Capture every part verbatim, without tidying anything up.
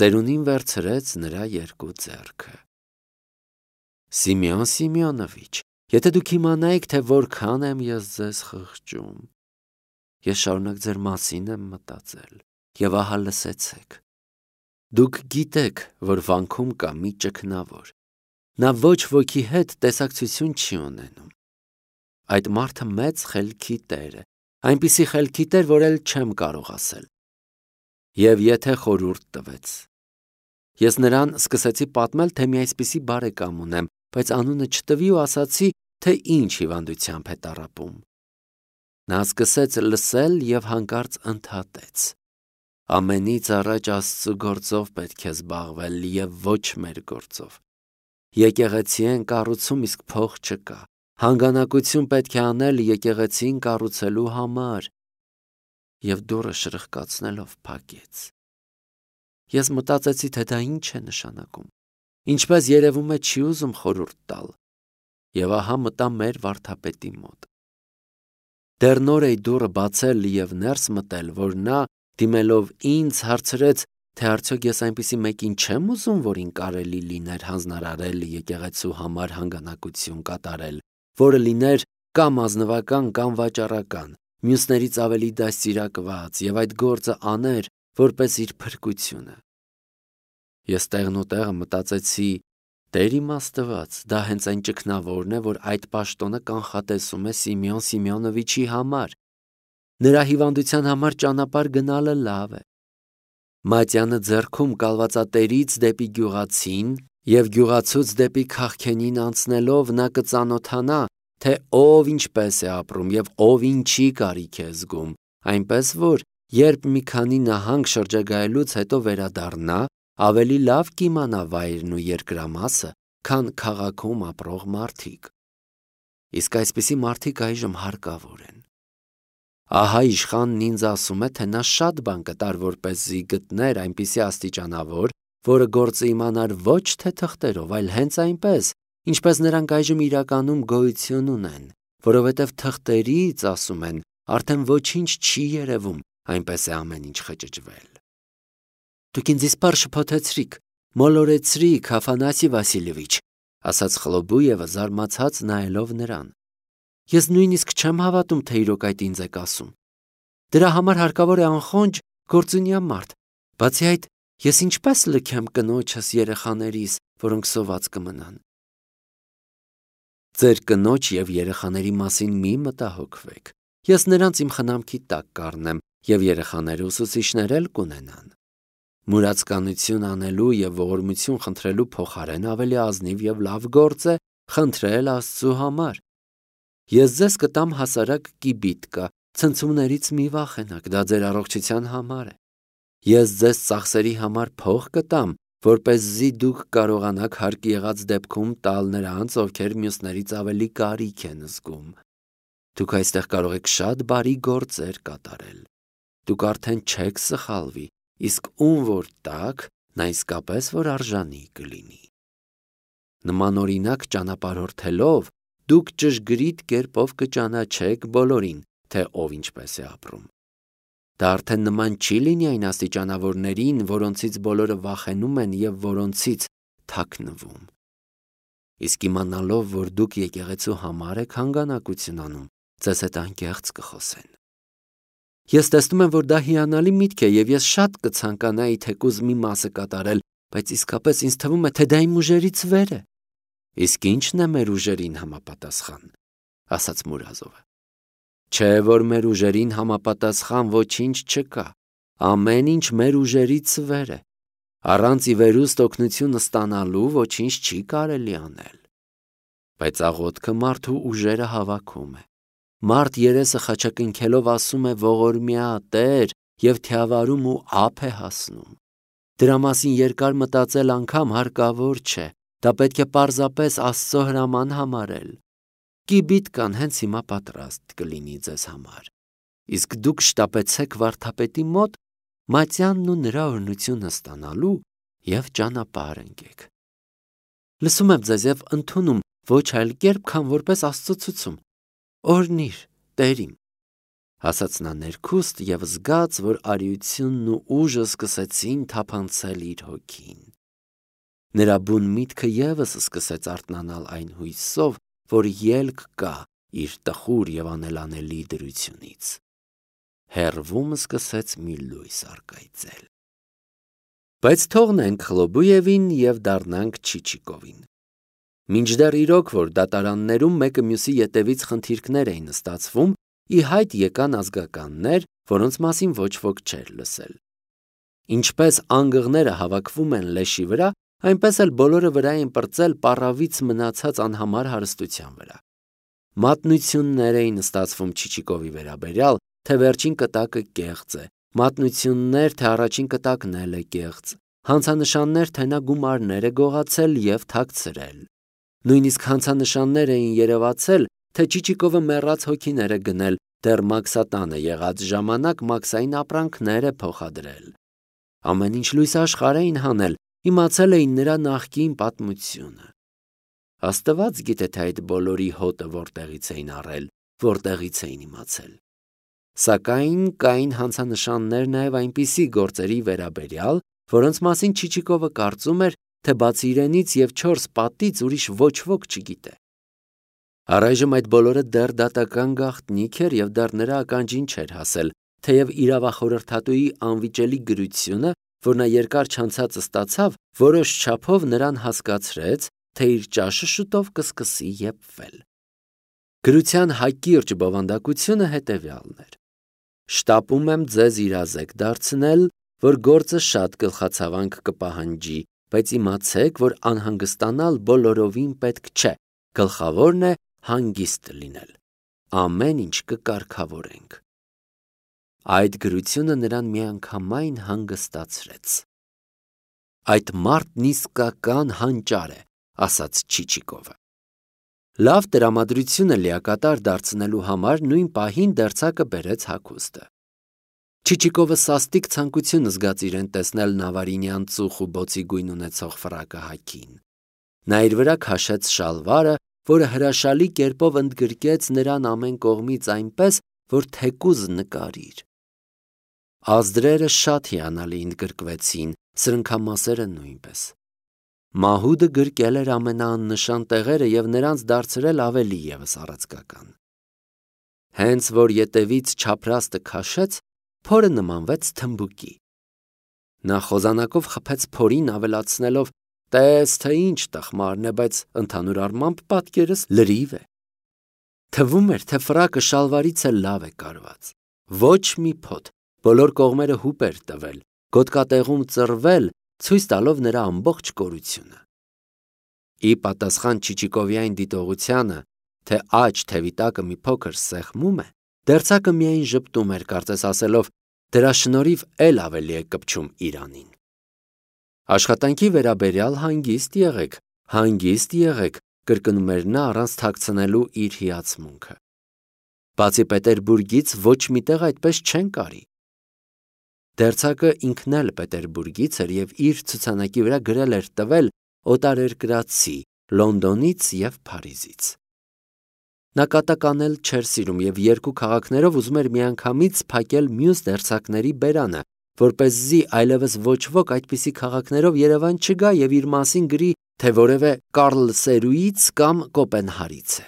ծերունին վերցրեց նրա երկու ձեռքը։ Սիմեոն Սիմեոնովիչ, եթե դուք իմանայիք, թե որքան եմ ես ձեզ խղճում, ես շարունակ ձեր մասին եմ մտածել, եւ ահա լսեցեք։ Դուք գիտեք, որ վանքում կա մի ճգնավոր, նա ոչ ոքի հետ տեսակցություն չի ունենում։ Այդ մարդը մեծ խելքի տեր է, այնպիսի խելքի տեր, որ էլ չեմ կարող ասել։ Եվ եթե խորհուրդ տվեց։ Ես նրան սկսեցի պատմել, թե մի այսպիսի բարեկամ ունեմ, բայց անունը չտվի ու ասացի, թե ինչ հիվանդությամբ է տառապում։ Նա սկսեց լսել եւ հանկարծ ընդհատեց. ամենից առաջ Աստծու գործով պետք է զբաղվել եւ ոչ մեր գործով։ Եկեղեցի են կառուցում, իսկ փող չկա։ Հանգանակություն պետք է անել եկեղեցին կառուցելու համար։ Եվ դուռը շրխկացնելով փակեց։ Ես մտածեցի, թե դա ինչ է նշանակում։ Ինչպես երևում է, չի ուզում խորհուրդ տալ։ Եվ ահա մտա մեր վարդապետի մոտ։ Դեռ նոր էի դուռը բացել եւ ներս մտել, որ նա, դիմելով ինձ, հարցրեց, թե արդյոք ես այնպիսի մեկին չեմ ուզում, որին կարելի լիներ հանձնարարել եկեղեցու համար հանգանակություն կատարել, որը լիներ կամ ազնվական կամ վաճառական, մյուսներից ավելի դաստիարակված եւ այդ գործը աներ, որպես իր փրկությունը։ Ես տեղնուտեղը մտածեցի, Տեր իմ Աստված, դա հենց այն ճգնավորն է, որ այդ պաշտոնը կանխատեսում է Սիմեոն Սիմեոնովիչի համար։ Նրա հիվանդության համար ճանապարհ գնալը լավ է։ Մատյանը ձեռքում կալվածատերից դեպի գյուղացին եւ գյուղացուց դեպի քաղքենին անցնելով նա կծանոթանա, թե ով ինչպես է ապրում եւ ով ինչի կարիք է զգում, այնպես որ երբ մի քանի նահանգ շրջագայելուց հետո վերադառնա, ավելի լավ կիմանա վայրն ու երկրամասը, քան քաղաքում ապրող մարդիկ։ Իսկ այսպիսի մարդիկ այժմ հարկավոր են։ Ահա իշխանն ինձ ասում է, թե նա շատ բան կտար, որպեսզի գտներ այնպիսի աստիճանավոր, որը գործը իմանար ոչ թե թղթերով, այլ հենց այնպես, ինչպես նրանք այժմ իրականում գոյություն ունեն, որովհետև թղթերից, ասում են, արդեն ոչինչ չի երևում, այնպես է ամեն ինչ խճճվել։ Դուք ինձ իսպառ շփոթեցրիք, մոլորեցրիք, Աֆանասի Վասիլևիչ, ասաց Խլոբույևը զարմացած նայելով նրան։ Ես նույնիսկ չեմ հավատում, թե իրոք այդ ինձ եք ասում։ Դրա համար հարկավոր է անխոնջ գործունյա մարդ։ Բացի այդ, ես ինչպես լքեմ կնոջս երեխաներիս, որոնք սոված կմնան։ Ձեր կնոջ եւ երեխաների մասին մի մտահոգվեք։ Ես նրանց իմ խնամքի տակ կառնեմ եւ երեխաները ուսուցիչներ էլ կունենան։ Մուրացկանություն անելու եւ ողորմություն խնդրելու փոխարեն ավելի ազնիվ եւ լավ գործ է խնդրել Աստծու համար։ Ես ձեզ կտամ հասարակ կիբիտկա, ցնցումներից մի վախենաք, դա ձեր առողջության համար է։ Ես ձեզ ծախսերի համար փող կտամ, որպեսզի դուք կարողանաք հարկ եղած դեպքում տալ նրանց, ովքեր մյուսներից ավելի կարիք են զգում։ Դուք այստեղ կարող եք շատ բարի գործեր կատարել։ Դուք արդեն չեք սխալվի, իսկ ում որ տաք, նա իսկապես որ արժանի կլինի։ Նման օրինակ ճանապարհորդելով, դուք ճշգրիտ կերպով կճանաչեք բոլորին, թե ով ինչպես է ապրում։ Դա արդեն նման չի լինի այն աստիճանավորներին, որոնցից բոլորը վախենում են եւ որոնցից թաքնվում։ Իսկ իմանալով, որ դուք եկեղեցու համար եք հանգանակություն անում, ձեզ հետ անկեղծ կխոսեն։ Ես տեսնում եմ, որ դա հիանալի միտք է եւ ես շատ կցանկանայի թեկուզ մի մասը կատարել, բայց իսկապես ինձ թվում է, թե դա իմ ուժերից վեր է։ Իսկ ի՞նչն է մեր ուժերին համապատասխան, ասաց Մուրազովը։ Չէ, որ մեր ուժերին համապատասխան ոչինչ չկա, ամեն ինչ մեր ուժերից վեր է, առանց ի վերուստ օգնություն ստանալու ոչինչ չի կարելի անել։ Բայց աղոթքը մարդու ուժերը հավաքում է, մարդ երեսը խաչակնքելով ասում է ողորմյա Տեր և թիավարում ու ափ է հասնում։ Դրա մասին երկար մտածել անգամ հարկավոր չէ, դա պետք է պարզապես Աստծո հրաման համարել։ Կիբիտկան հենց հիմա պատրաստ կլինի ձեզ համար, իսկ դուք շտապեցեք վարդապետի մոտ Մատյանն ու նրա օրհնությունը ստանալու և ճանապարհ ընկեք։ Լսում եմ ձեզ և ընդունում ոչ այլ կերպ, քան որպես Աստծո ցուցում։ Օրհնիր, Տեր իմ։ ասաց նա ներքուստ և զգաց, որ արիությունն ու ուժը սկսեցին թափանցել իր հոգին։ Նրա բուն միտքը ևս սկսեց արթնանալ այն հույսով, որ ելք կա իր տխուր և անելանելի դրությունից։ Հեռվում սկսեց մի լույս առկայծել։ Բայց թողնենք Խլոբուևին և դառնանք Չիչիկովին։ Մինչդեռ իրոք, որ դատարաններում մեկը մյուսի ետևից խնդիրքներ էին ստացվում, ի հայտ եկան ազգականներ, որոնց մասին ոչ ոք չէր լսել։ Ինչպես անգղները հավաքվում են լեշի վրա, այնպես էլ բոլորը վրա էին պրծել պառավից մնացած անհամար հարստության վրա։ Մատնություններ էին ստացվում Չիչիկովի վերաբերյալ, թե վերջին կտակը կեղծ է, մատնություններ, թե առաջին կտակն էլ է կեղծ, հանցանշաններ, թե նա գումարներ է գողացել և թաքցրել։ Նույնիսկ հանցանշաններ էին երևացել, թե Չիչիկովը մեռած հոգիներ է գնել, դեռ մաքսատանը եղած ժամանակ մաքսային ապրանքներ է փոխադրել։ Ամեն ինչ լույս աշխարհ էին հանել, իմացել էին նրա նախկին պատմությունը։ Աստված գիտե, թե այդ բոլորի հոտը որտեղից էին առել, որտեղից էին իմացել։ Սակայն կային հանցանշաններ նաև այնպիսի գործերի վերաբերյալ, որոնց մասին Չիչիկովը կարծում էր, թե բացի իրենից և չորս պատից ուրիշ ոչ ոք չգիտե։ Առայժմ այդ բոլորը դեռ դատական գաղտնիք էր և դեռ նրա ականջին չէր հասել, թեև իրավախորհրդատուի անվիճելի գրությունը, որ նա երկար չանցած ստացավ, որոշ չափով նրան հասկացրեց, թե իր ճաշը շուտով կսկսի եփվել։ Գրության հակիրճ բովանդակությունը հետևյալն էր. «Շտապում եմ ձեզ իրազեկ դարձնել, որ գործը շատ գլխացավանք կպահանջի, բայց իմացեք, որ անհանգստանալ բոլորովին պետք չէ, գլխավորն է հանգիստ լինել։ Ամեն ինչ կկարգավորենք»։ Այդ գրությունը նրան միանգամայն հանգստացրեց։ «Այդ մարդն իսկական հանճար է», ասաց Չիչիկովը։ Լավ տրամադրությունը լիակատար դարձնելու համար նույն պահին դերձակը բերեց հագուստը։ Չիչիկովը սաստիկ ցանկություն զգաց իրեն տեսնել նավարինյան ծուխ ու բոցի գույն ունեցող ֆրակը հագին։ Նա իր վրա քաշեց շալվարը, որը հրաշալի կերպով ընդգրկեց նրան ամեն կողմից այնպես, որ թեկուզ նկարիր։ Ազդրերը շատ հիանալի ընդգրկվեցին, սրընքամասերը նույնպես։ Մահուդը գրկել էր ամենաաննշան տեղերը և նրանց դարձրել ավելի ևս առաձգական։ Հենց որ ետևից չափրաստը քաշեց, փորը նմանվեց թմբուկի։ Նա խոզանակով խփեց փորին, ավելացնելով. «Տես, թե ինչ տխմարն է, բայց ընդհանուր առմամբ պատկերս լրիվ է»։ Թվում էր, թե ֆրակը շալվարից էլ լավ է կարված։ Ոչ մի փոթ, բոլոր կողմերը հուպ էր տվել, գոտկատեղում ծռվել, ցույց տալով նրա ամբողջ կորությունը։ Ի պատասխան Չիչիկովի այն դիտողությանը, թե աջ թևի տակը մի փոքր սեղմում է, դերձակը միայն ժպտում էր, կարծես ասելով. «Դրա շնորհիվ էլ ավելի է կպչում իրանին»։ Աշխատանքի վերաբերյալ հանգիստ եղեք, հանգիստ եղեք, կրկնում էր նա առանց թաքցնելու իր հիացմունքը։ Բացի Պետերբուրգից ոչ միտեղ այդպես չեն կարի։ Դերձակը ինքն էլ Պետերբուրգից էր և իր ցուցանակի վրա գրել էր տվել օտարերկրացի Լոնդոնից և Փարիզից։ Նա կատականել չէր սիրում և երկու քաղաքներով ուզում էր միանգամից փակել մյուս դերձակների բերանը, որպեսզի այլևս ոչ ոք այդպիսի քաղաքներով Երևան չգա և իր մասին գրի, թե որևէ Կարլսերուից կամ Կոպենհարից է։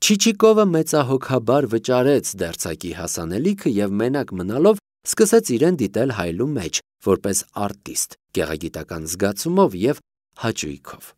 Չիչիկովը մեծահոգաբար վճարեց դերձակի հասանելիքը և մենակ մնալով սկսեց իրեն դիտել հայլու մեջ, որպես արտիստ, գեղագիտական զգացումով և հաճույքով։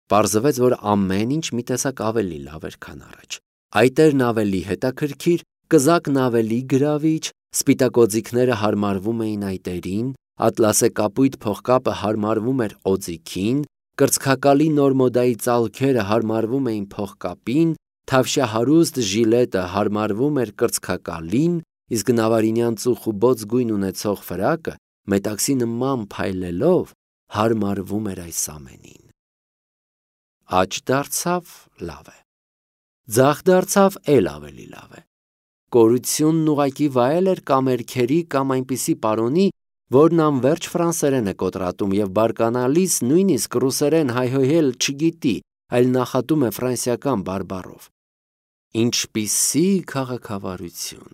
Պարզվեց, որ ամեն ինչ մի տեսակ ավելի լավ էր, քան առաջ։ Այտերն ավելի հետաքրքիր, կզակն ավելի գրավիչ, սպիտակ օձիքները հարմարվում էին այտերին, ատլասե կապույտ փողկապը հարմարվում էր օձիքին, կրծքակալի նոր մոդայի ծալքերը հարմարվում էին փողկապին, թավշյա հարուստ ժիլետը հարմարվում էր կրծքակալին, իսկ նավարինյան ծուխ ու բոց գույն ունեցող ֆրակը մետաքսի նման փայլելով հարմարվում էր այս ամենին։ Աջ դարձավ, լավ է։ Ձախ դարձավ, էլ ավելի լավ է։ Կորությունն ուղղակի վայել էր կամերքերի կամ այնպիսի պարոնի, որն անվերջ ֆրանսերեն է կոտրատում և բարկանալիս նույնիսկ ռուսերեն հայհոյել չգիտի, այլ նախատում է ֆրանսիական բարբառով։ Ինչպիսի քաղաքավարություն։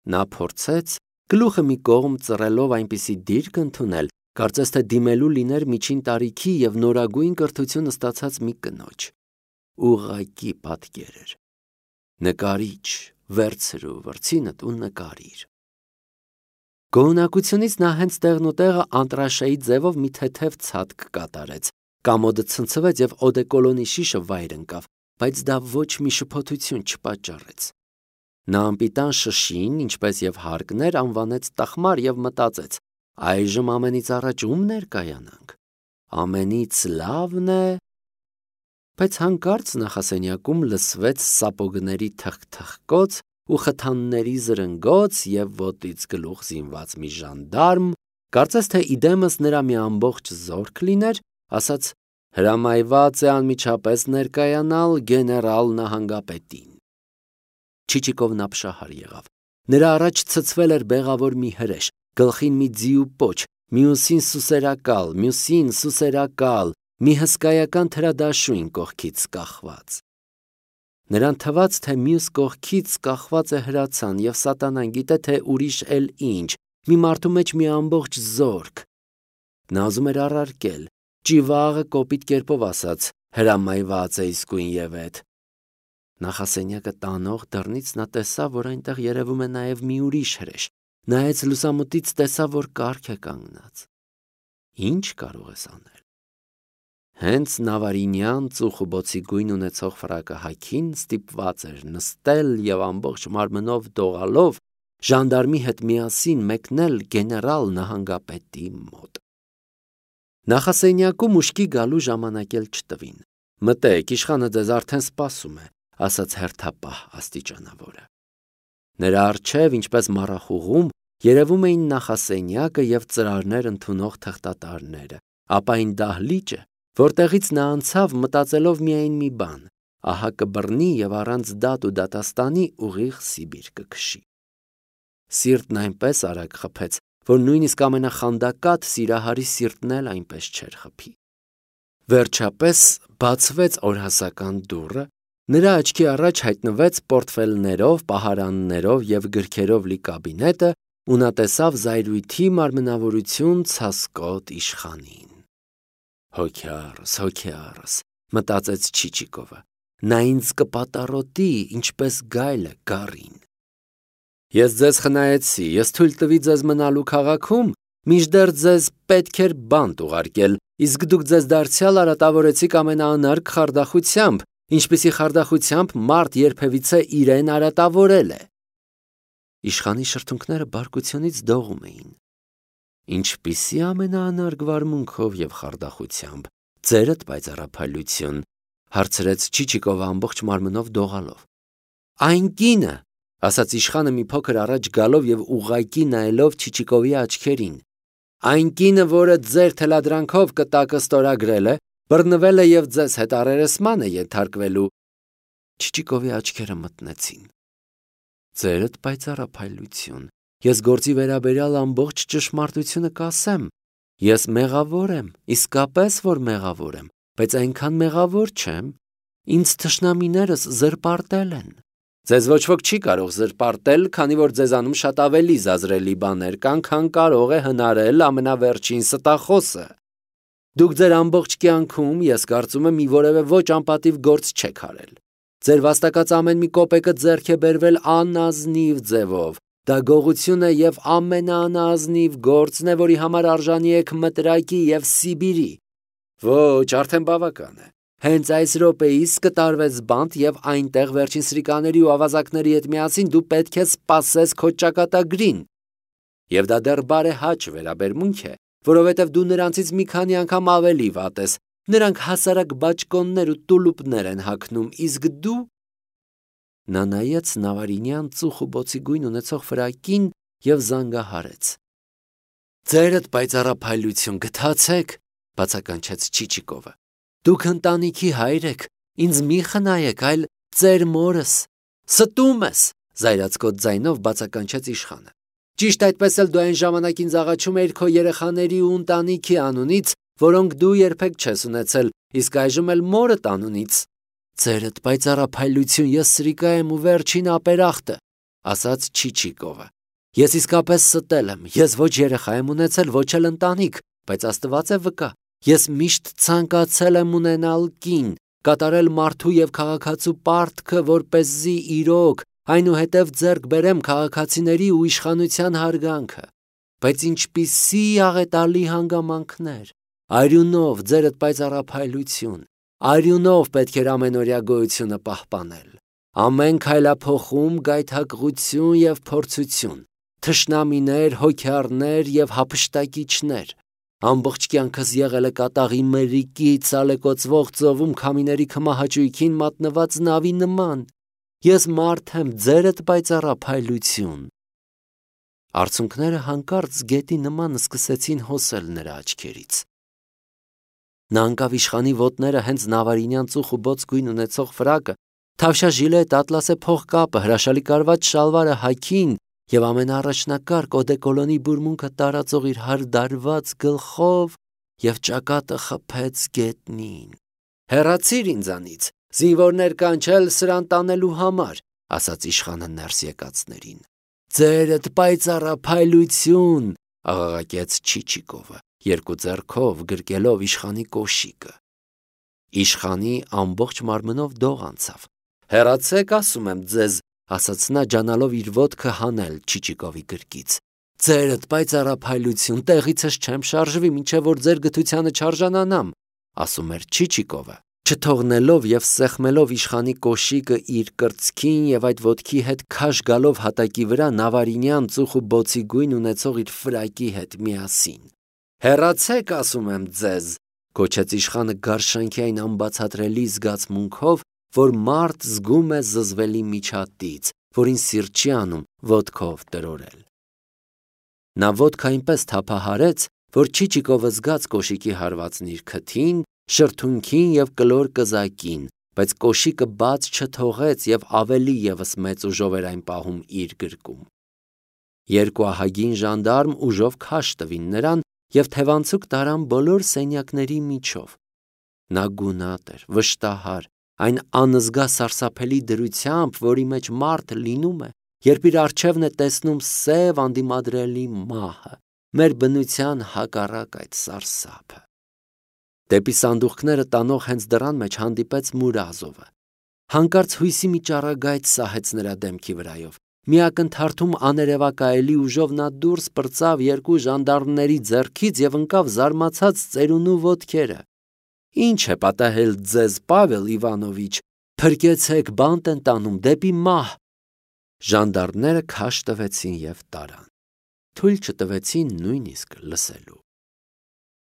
Նա փորձեց գլուխը մի կողմ ծռելով այնպիսի դիրք ընդունել, կարծես թե դիմելու լիներ միջին տարիքի և նորագույն կրթություն ստացած մի կնոջ։ Ուղղակի պատկեր էր։ Նկարիչ, վերցրու վրձինդ ու նկարիր։ Գոհունակությունից նա հենց տեղն ու տեղը անտրաշեի ձևով մի թեթև ցատկ կատարեց, կամոդը ցնցվեց և օդեկոլոնի շիշը վայր ընկավ, բայց դա ոչ մի շփոթություն չպատճառեց։ Նա անպիտան շշին, ինչպես և հարկն էր, անվանեց տխմար և մտածեց. այժմ ամենից առաջ ում ներկայանանք։ Ամենից լավն է։ Բայց հանկարծ նախասենյակում լսվեց սապոգների թխթխկոց ու խթանների զրնգոց և ոտից գլուխ զինված մի ժանդարմ, կարծես թե իդեմս նրա մի ամբողջ զորք լիներ, ասաց. հրամայված է անմիջապես ներկայանալ գեներալ նահանգապետին։ Չիչիկովն ապշահար եղավ։ Նրա առաջ ցցվել էր բեղավոր մի հրեշ, գլխին մի ձիու պոչ, մյուսին սուսերակալ, մյուսին սուսերակալ, մի հսկայական թրադաշույն կողքից կախված։ Նրան թվաց, թե մյուս կողքից կախված է հրացան, և սատանան գիտե, թե ուրիշ էլ ինչ, մի մարդու մեջ մի ամբողջ զորք։ Նա ուզում էր առարկել, ճիվաղը կոպիտ կերպով ասաց. հրամայված է իսկույն և էդ։ Նախասենյակը տանող դռնից նա տեսավ, որ այնտեղ երևում է նաև մի ուրիշ հրեշ, նայեց լուսամուտից, տեսավ, որ կառք է կանգնած։ Ինչ կարող ես անել։ Հենց նավարինյան ծուխուբոցի գույն ունեցող ֆրակը հագին ստիպված էր նստել և ամբողջ մարմնով դողալով ժանդարմի հետ միասին մեկնել գեներալ նահանգապետի մոտ։ Նախասենյակում ուշքի գալու ժամանակ էլ չտվին։ Մտեք, իշխանը ձեզ արդեն սպասում է, ասաց հերթապահ աստիճանավորը։ Նրա առջև, ինչպես մառախուղում, երևում էին նախասենյակը և ծրարներ ընդունող թղթատարները, ապա այն դահլիճը, որտեղից նա անցավ, մտածելով միայն մի բան. ահա կբռնի և առանց դատ ու դատաստանի ուղիղ Սիբիր կքշի։ Սիրտն այնպես արագ խփեց, որ նույնիսկ ամենախանդակատ սիրահարի սիրտն էլ այնպես չէր խփի։ Վերջապես բացվեց օրհասական դուռը, նրա աչքի առաջ հայտնվեց պորտֆելներով, պահարաններով և գրքերով լի կաբինետը, ու նա տեսավ զայրույթի մարմնավորություն ցասկոտ իշխանին։ Հոգյառս, հոգյառս, մտածեց Չիչիկովը, նա ինձ կպատառոտի, ինչպես գայլը գառին։ Ես ձեզ խնայեցի, ես թույլ տվի ձեզ մնալու քաղաքում, մինչդեռ ձեզ պետք էր բանտ ուղարկել, իսկ դուք ձեզ դարձյալ արատավորեցիք ամենաանարգ խարդախությամբ, ինչպիսի խարդախությամբ մարդ երբևիցե իրեն արատավորել է։ Իշխանի շրթունքները բարկությունից դողում էին։ Ինչպիսի ամենաանարգ վարմունքով և խարդախությամբ, ձերդ պայծառափայլություն, հարցրեց Չիչիկովը ամբողջ մարմնով դողալով։ Այն կինը, ասաց իշխանը մի փոքր առաջ գալով և ուղղակի նայելով Չիչիկովի աչքերին, այն կինը, որը ձեր թելադրանքով կտակը ստորագրել է, բռնվել է և ձեզ հետ առերեսման է ենթարկվելու։ Չիչիկովի աչքերը մթնեցին։ Ձերդ պայծառափայլություն, ես գործի վերաբերյալ ամբողջ ճշմարտությունը կասեմ։ Ես մեղավոր եմ, իսկապես որ մեղավոր եմ, բայց այնքան մեղավոր չեմ։ Ինձ թշնամիներս զրպարտել են։ Ձեզ ոչ ոք չի կարող զրպարտել, քանի որ ձեզանում շատ ավելի զազրելի բաներ կան, քան կարող է հնարել ամենավերջին ստախոսը։ Դուք ձեր ամբողջ կյանքում, ես կարծում եմ, մի որևէ ոչ անպատիվ գործ չեք արել։ Ձեր վաստակած ամեն մի կոպեկը ձեռք է բերվել անազնիվ ձևով։ Դա գողություն է և ամենաանազնիվ գործն է, որի համար արժանի եք մտրակի և Սիբիրի։ Ոչ, արդեն բավական է։ Հենց այս րոպեիս կտարվեց բանտ և այնտեղ վերջին սրիկաների ու ավազակների հետ միասին դու պետք է սպասես քո ճակատագրին։ Եվ դա դեռ բարեհաճ վերաբերմունք է, որովհետև դու նրանցից մի քանի անգամ ավելի վատ ես։ Նրանք հասարակ բաճկոններ ու տուլուպներ են հագնում, իսկ դու… Նա նայեց նավարինյան ծուխուբոցի գույն ունեցող ֆրակին և զանգահարեց։ Ձերդ պայծառափայլություն, գթացեք, բացականչեց Չիչիկովը։ Դուք ընտանիքի հայր եք, ինձ մի խնայեք, այլ ծեր մորս։ Ստում ես, զայրացկոտ ձայնով բացականչեց իշխանը։ Ճիշտ այդպես էլ դու այն ժամանակ ինձ աղաչում էիր քո երեխաների ու ընտանիքի անունից, որոնք դու երբեք չես ունեցել, իսկ այժմ էլ մորդ անունից։ Ձերդ պայծառափայլություն, ես սրիկա եմ ու վերջին ապերախտը, ասաց Չիչիկովը։ Ես իսկապես ստել եմ, ես ոչ երեխա եմ ունեցել, ոչ էլ ընտանիք, բայց Աստված է վկա, ես միշտ ցանկացել եմ ունենալ կին, կատարել մարդու եւ քաղաքացու պարտքը, որպեսզի իրոք, այնուհետև ձեռք բերեմ քաղաքացիների ու իշխանության հարգանքը։ Բայց ինչպիսի աղետալի հանգամանքներ, արյունով ձերդ պայծառափայլություն, արյունով պետք էր ամենօրյա գոյությունը պահպանել։ Ամեն քայլափոխում գայթակղություն եւ փորձություն, թշնամիներ, հոգյառներ եւ հափշտակիչներ։ Ամբողջ կյանքս եղել է կատաղի մերիկի ցալեկոծվող ծովում քամիների քմահաճույքին մատնված նավի նման։ Ես մարդ եմ, ձերդ պայծառափայլություն։ Արցունքները հանկարծ գետի նման սկսեցին հոսել նրա աչքերից։ Նա անկավ իշխանի ոտները հենց նավարինյան ծուխ ու բոց գույն ունեցող ֆրակը, թավշյա ժիլետ, ատլասե փողկապը, հրաշալի կարված շալվարը հագին եւ ամենաառաջնակարգ օդեկոլոնի բուրմունքը տարածող իր հարդարված գլխով եւ ճակատը խփեց գետնին։ Հեռացիր ինձանից, զինվորներ կանչել սրան տանելու համար, ասաց իշխանը ներս եկածներին։ Ձերդ պայծառափայլություն, աղաղակեց Չիչիկովը, երկու ձեռքով գրկելով իշխանի կոշիկը։ Իշխանի ամբողջ մարմնով դող անցավ։ Հեռացեք, ասում եմ ձեզ, ասաց նա ջանալով իր ոտքը հանել Չիչիկովի գրկից։ Ձերդ պայծառափայլություն, տեղիցս չեմ շարժվի, մինչև որ ձեր գթությանը չարժանանամ, ասում էր Չիչիկովը, չթողնելով եւ սեղմելով իշխանի կոշիկը իր կրծքին եւ այդ ոտքի հետ քաշ գալով հատակի վրա նավարինյան ծուխ ու բոցի գույն ունեցող իր ֆրակի հետ միասին։ Հեռացեք, ասում եմ ձեզ, գոչեց իշխանը գարշանքի այն անբացատրելի զգացմունքով, որ մարդ զգում է զզվելի միջատից, որին սիրտ չի անում ոտքով տրորել։ Նա ոտքը այնպես թափահարեց, որ Չիչիկովը զգաց կոշիկի հարվածն իր քթին, շրթունքին եւ կլոր կզակին, բայց կոշիկը բաց չթողեց եւ ավելի եւս մեծ ուժով էր այն պահում իր գրկում։ Երկու ահագին ժանդարմ ուժով քաշ տվին նրան եւ թևանցուկ տարան բոլոր սենյակների միջով։ Նա գունատ էր, վշտահար, այն անզգա սարսափելի դրությամբ, որի մեջ մարդ լինում է, երբ իր առջևն է տեսնում սև անդիմադրելի մահը, մեր բնության հակառակ այդ սարսափը։ Դեպի սանդուղքները տանող հենց դռան մեջ հանդիպեց Մուրազովը։ Հանկարծ հույսի մի ճառագայթ սահեց նրա դեմքի վրայով։ Մի ակնթարթում աներևակայելի ուժով նա դուրս պրծավ երկու ժանդարմների ձեռքից եւ ընկավ զարմացած ծերունու ոտքերը։ Ինչ է պատահել ձեզ, Պավել Իվանովիչ, փրկեցեք, բանտ են տանում դեպի մահ։ Ժանդարմները քաշ տվեցին եւ տարան։ Թույլ չտվեցին նույնիսկ լսելու։